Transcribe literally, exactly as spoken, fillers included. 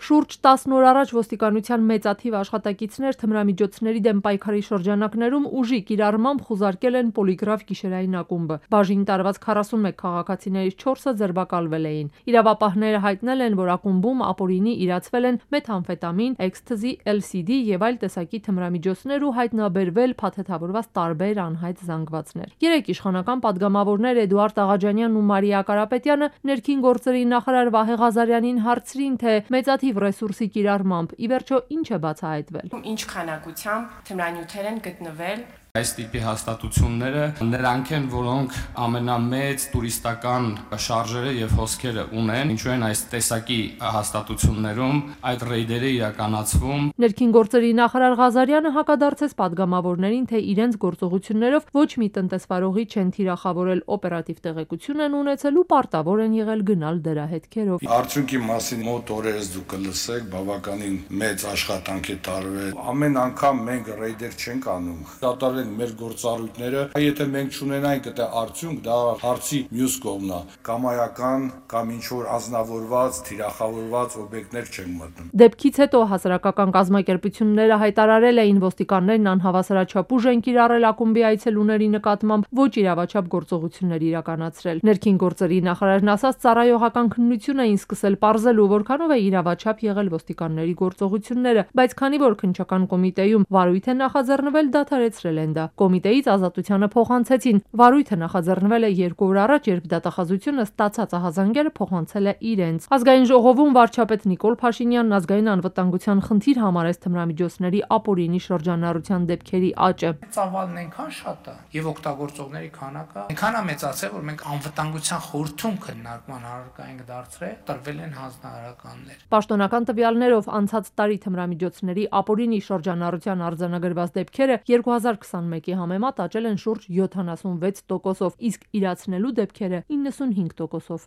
Շուրջ տասն օր առաջ ոստիկանության մեծաթիվ աշխատակիցներ թմրամիջոցների դեմ պայքարի շրջանակներում ուժի կիրառմամբ խուզարկել են պոլիգրաֆ գիշերային ակումբը։ Բաժին տարված քառասունմեկ քաղաքացիներից չորսը ձերբակալվել էին։ Իրավապահները հայտնել են, որ ակումբում ապօրինի իրացվել են մեթամֆետամին, էքսթազի, էլ սի դի եւ այլ տեսակի թմրամիջոցներ ու հայտնաբերվել փաթեթավորված տարբեր անհայտ զանգվածներ։ Երեք իշխանական պատգամավորներ Էդուարդ Աղաջանյանն ու Մարիա Կարապետյանը ներքին գործերի նախարար Վահե Ղազարյանին հարցրին, թե մեծաթիվ ռեսուրսի կիրառմամբ ի վերջո ինչ է բացահայտվել։ Ինչ քանակությամբ թմրանյութեր են գտնվել։ Այս տիպի հաստատությունները նրանք են, որոնք ամենամեծ տուրիստական շարժերը եւ հոսքերը ունեն, ինչու են այս տեսակի հաստատություններում այդ ռեյդերը իրականացվում։ Ներքին գործերի նախարար Ղազարյանը հակադարձեց պատգամավորներին, թե իրենց գործողություններով ոչ մի տնտեսվարողի չեն թիրախավորել, օպերատիվ տեղեկություն են ունեցել ու պարտավոր են եղել գնալ դրա հետքերով։ Արդյունքի մասին մոտ օրերս դուք կլսեք, բավականին մեծ աշխատանք է տարվել։ Ամեն անգամ մենք ռեյդեր չենք անում։ Կատարել մեր գործառույթները, եթե մենք չունենանք այդ արդյունք, դա հարցի մյուս կողմն է, կամայական կամ ինչ-որ ազնվորված, թիրախավորված օբյեկտներ չենք մտնում։ Դեպքից հետո հասարակական կազմակերպությունները հայտարարել էին, ոստիկաններն անհավասարաչափ ուժ են կիրառել ակումբի այցելուների նկատմամբ, ոչ իրավաչափ գործողություններ իրականացրել։ Ներքին գործերի նախարարն ասաց, ծառայողական քննություն էին սկսել պարզելու, որքանով է իրավաչափ եղել ոստիկանների գործողությունները, բայց քանի որ քննչական կոմիտեում վարույթ է նախաձեռնվել, դադարեցրել են դա։ Կոմիտեից ազատությանը փոխանցեցին։ Վարույթը նախաձեռնվել է երկու օր առաջ, երբ դատախազությունը ստացած ահազանգերը փոխանցել է իրենց։ Ազգային ժողովում վարչապետ Նիկոլ Փաշինյանն ազգային անվտանգության խնդիր համարեց թմրամիջոցների ապօրինի շրջանառության դեպքերի աճը։ Ծավալն այնքան շատ է եւ օգտագործողների քանակը այնքան է մեծացել, որ մենք անվտանգության խորհրդում քննարկման առարկայինք դարձրել, տրվել են հանձնարարականներ։ Պաշտոնական տվյալներով անցած տարի թմրամիջոցների ապօրինի շրջանառության արձանագրված դեպքերը երկու հազար քսանմեկի համեմատ աճել են շուրջ յոթանասունվեց տոկոսով, իսկ իրացնելու դեպքերը իննսունհինգ տոկոսով։